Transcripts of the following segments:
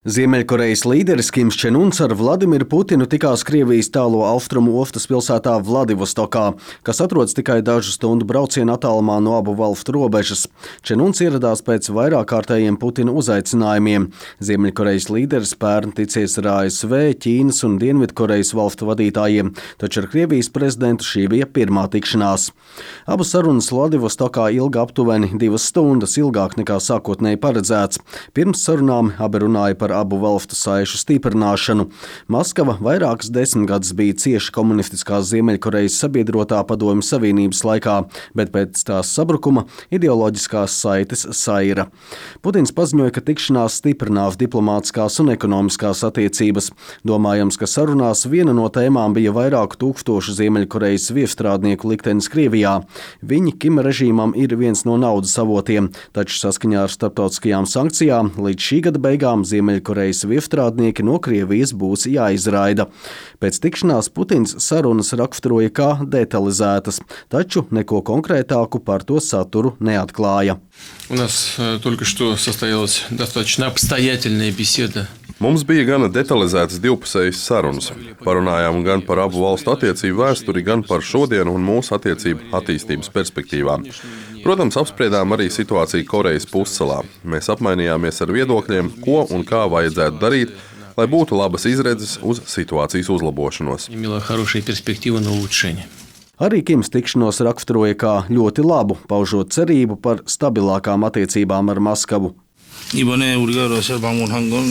Ziemeļkorejas līderis Kims Čen Uns ar Vladimiru Putinu tikās Krievijas tālo austrumu ostas pilsētā Vladivostokā, kas atrodas tikai dažu stundu brauciena attālumā no abu valstu robežas. Čen Uns ieradās pēc vairākkārtējiem Putina uzaicinājumiem. Ziemeļkorejas līderis pērn ticies ar ASV, Ķīnas un Dienvidkorejas valstu vadītājiem, taču ar Krievijas prezidentu šī bija pirmā tikšanās. Abu sarunas Vladivostokā ilga aptuveni 2 stundas, ilgāk nekā sākotnēji paredzēts. Pirms sarunām abi runāja par abu valstu saišu stiprināšanu. Maskava vairākas desmitgadus bija cieši komunistiskās Ziemeļkorejas sabiedrotā Padomju Savienības laikā, bet pēc tās sabrukuma ideoloģiskās saites saira. Putins paziņoja, ka tikšanās stiprinās diplomātiskās un ekonomiskās attiecības. Domājams, ka sarunās viena no tēmām bija vairāku tūkstošu Ziemeļkorejas viefstrādnieku liktenis Krievijā. Viņi Kima režīmam ir viens no naudas avotiem, taču saskaņā ar starptautiskajām sankcijām līdz šī gada beigām Ziemeļkorejas viefstrādnieki no Krievijas būs jāizraida. Pēc tikšanās Putins sarunas raksturoja kā detalizētas, taču neko konkrētāku par to saturu neatklāja. У нас только что состоялась достаточно обстоятельная беседа. Mums bija gana detalizētas divpusējas sarunas. Parunājām gan par abu valstu attiecību vēsturi, gan par šodienu un mūsu attiecību attīstības perspektīvām. Protams, apspriedām arī situāciju Korejas pussalā. Mēs apmainījāmies ar viedokļiem, ko un kā vajadzētu darīt, lai būtu labas izredzes uz situācijas uzlabošanos. Arī Kims tikšanos raksturoja kā ļoti labu, paužot cerību par stabilākām attiecībām ar Maskavu. 이번에 우리가 러시아를 방문한 건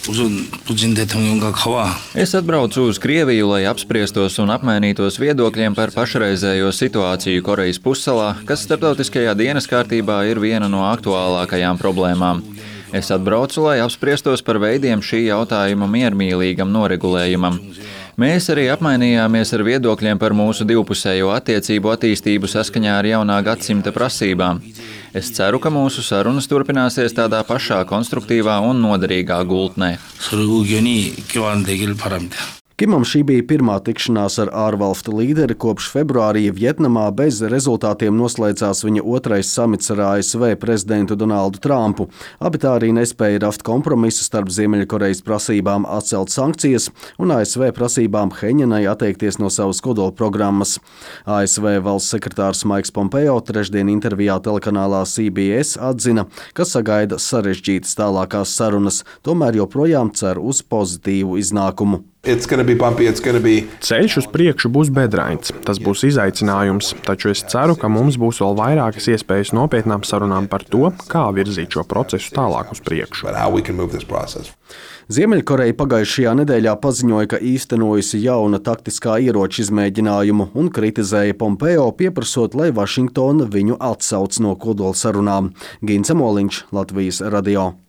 우선 푸틴 대통령과 가와. Es atbraucu uz Krieviju, lai apspriestos un apmainītos viedokļiem par pašreizējo situāciju Korejas pussalā, kas starptautiskajā dienas kārtībā ir viena no aktuālākajām problēmām. Es atbraucu, lai apspriestos par veidiem šī jautājuma miermīlīgam noregulējumam. Mēs arī apmainījāmies ar viedokļiem par mūsu divpusējo attiecību attīstību saskaņā ar jaunā gadsimta prasībām. Es ceru, ka mūsu sarunas turpināsies tādā pašā konstruktīvā un noderīgā gultnē. Kimam šī bija pirmā tikšanās ar ārvalstu līderi kopš februārī Vjetnamā. Bez rezultātiem noslēdzās viņa otrais samits ar ASV prezidentu Donaldu Trumpu. Abi tā arī nespēja rast kompromisu starp Ziemeļkorejas prasībām atcelt sankcijas un ASV prasībām Phenjanai atteikties no savas kodolprogrammas. ASV valsts sekretārs Maiks Pompeo trešdien intervijā telekanālā CBS atzina, ka sagaida sarežģītas tālākās sarunas, tomēr joprojām cer uz pozitīvu iznākumu. Ceļš uz priekšu būs bedrains. Tas būs izaicinājums, taču es ceru, ka mums būs vēl vairākas iespējas nopietnām sarunām par to, kā virzīt šo procesu tālāk uz priekšu. Ziemeļkoreja pagājušajā nedēļā paziņoja, ka īstenojusi jauna taktiskā ieroča izmēģinājumu un kritizēja Pompeo, pieprasot, lai Vašingtona viņu atsauc no kodolsarunām. Gins Amoliņš, Latvijas radio.